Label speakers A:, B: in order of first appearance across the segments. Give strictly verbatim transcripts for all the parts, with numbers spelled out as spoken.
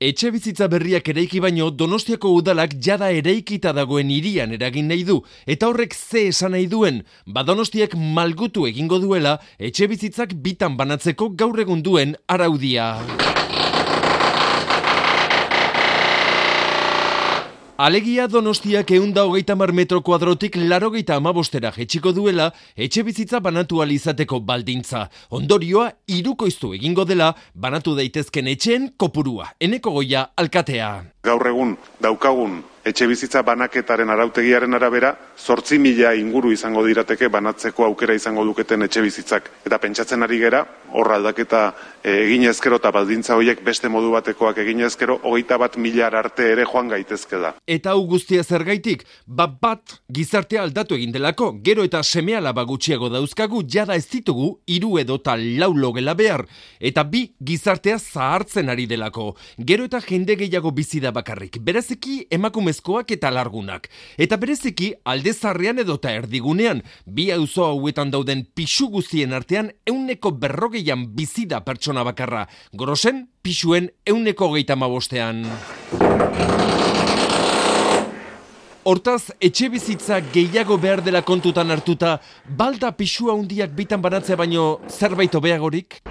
A: Etxe bizitza berriak eraiki baino Donostiako udalak jada eraikita dagoen hirian eragin nahi du, eta horrek ze esan nahi duen, ba Donostiak malgutu egingo duela etxe bizitzak bitan banatzeko gaur egun duen araudia. Alegia Donostiak ehunda hogeita hamar metro kuadrotik laurogeita hamabostera jetxiko duela etxe bizitza banatu ahal izateko baldintza. Ondorioa hirukoiztu egingo dela banatu daitezken etxeen kopurua. Eneko Goia alkatea.
B: Gaur egun daukagun etxe bizitza banaketaren arautegiaren arabera, zortzi mila inguru izango dirateke banatzeko aukera izango duketen etxe bizitzak. Eta pentsatzen ari gera, hor aldaketa egin ezkero eta baldintza horiek beste modu batekoak egin ezkero, hogeita bat milar arte ere joan gaitezke da.
A: Eta hau guztia zergaitik, bat bat gizartea aldatu egin delako, gero eta seme-alaba gutxiago dauzkagu, jada ez ditugu hiru edo eta lau logela behar, eta bi gizartea zahartzen ari delako, gero eta jende gehiago bizi da bakarrik, bereziki emakumezkoak eta largunak, eta bereziki alde zarrean edo eta erdigunean, bi auzo hauetan dauden pisu guztien artean euneko berrogeian bizi da pertsona bakarra, gorosen pisuen euneko hogeita hamabostean. Hortaz, etxe bizitza gehiago behar dela kontutan hartuta, balda pisua handiak bitan banatzea baino zerbait hobeagorik?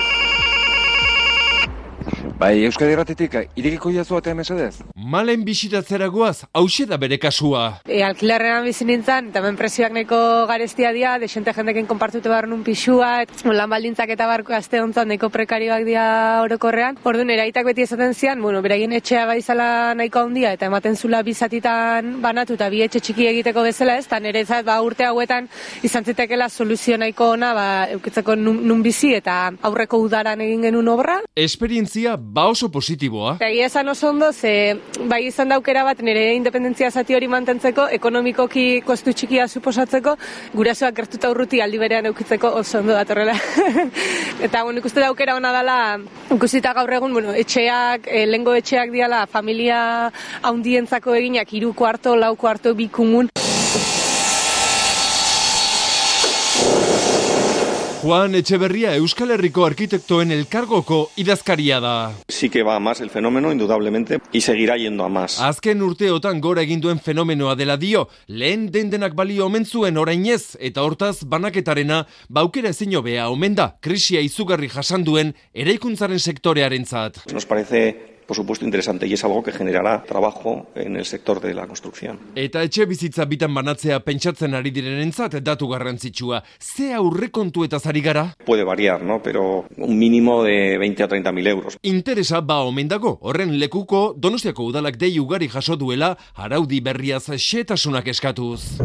C: Bai, Euskadi Irratitik, irekiko jazu batean mesedez?
A: Malen bisitatzera goaz, hauxe da bere kasua.
D: E, alkilarrean bizi nintzen, eta hemen presioak neko garestia dira, desente jendekin konpartute behar nun pisua, et, lan baldintzak eta barko azte hontzan neko prekarioak dira orokorrean. Orduan, eraitak beti esaten zian, bueno, beraien etxea baizala nahiko handia, eta ematen zula bizatitan banatu, eta bi etxe txiki egiteko bezala ez, eta nire ezat, ba, urte hauetan izan zitekela soluzio nahiko ona, ba, eukitzeko nun, nun bizi, eta aurreko udaran egin genuen obra.
A: Esperientzia ba oso positiboa.
D: Egia esan oso ondo, ze bai izan daukera bat nire independentzia zati hori mantentzeko, ekonomikoki kostu txikia suposatzeko, gurasoak gertuta urruti aldi berean eukitzeko oso ondo datorrela. Eta bueno, ikuste daukera ona dela, ikusita gaur egun, bueno, etxeak, e, lengo etxeak diala, familia haundientzako eginak, hiru kuarto, lau kuarto, bi kumun.
A: Juan Etxeberria Euskal Herriko Arkitektoen Elkargoko idazkaria da.
E: Sí que va a más el fenómeno, indudablemente, y seguirá yendo a más.
A: Azken urteotan gora egin duen fenomenoa dela dio, lehen dendenak balio omen zuen orainez, eta hortaz banaketarena baukera ezin hobea omen da, krisia izugarri jasan duen eraikuntzaren sektorearentzat.
E: Nos parece, por supuesto, interesante y es algo que generará trabajo en el sector de la construcción.
A: Eta etxe bizitza bitan banatzea pentsatzen ari direnentzat datu garrantzitsua. Ze aurrekontuetaz ari gara?
E: Puede variar, ¿no? Pero un mínimo de veinte a treinta mil euros.
A: Interesa ba omen dago. Horren lekuko Donostiako udalak dei ugari jaso duela araudi berriaz xehetasunak eskatuz.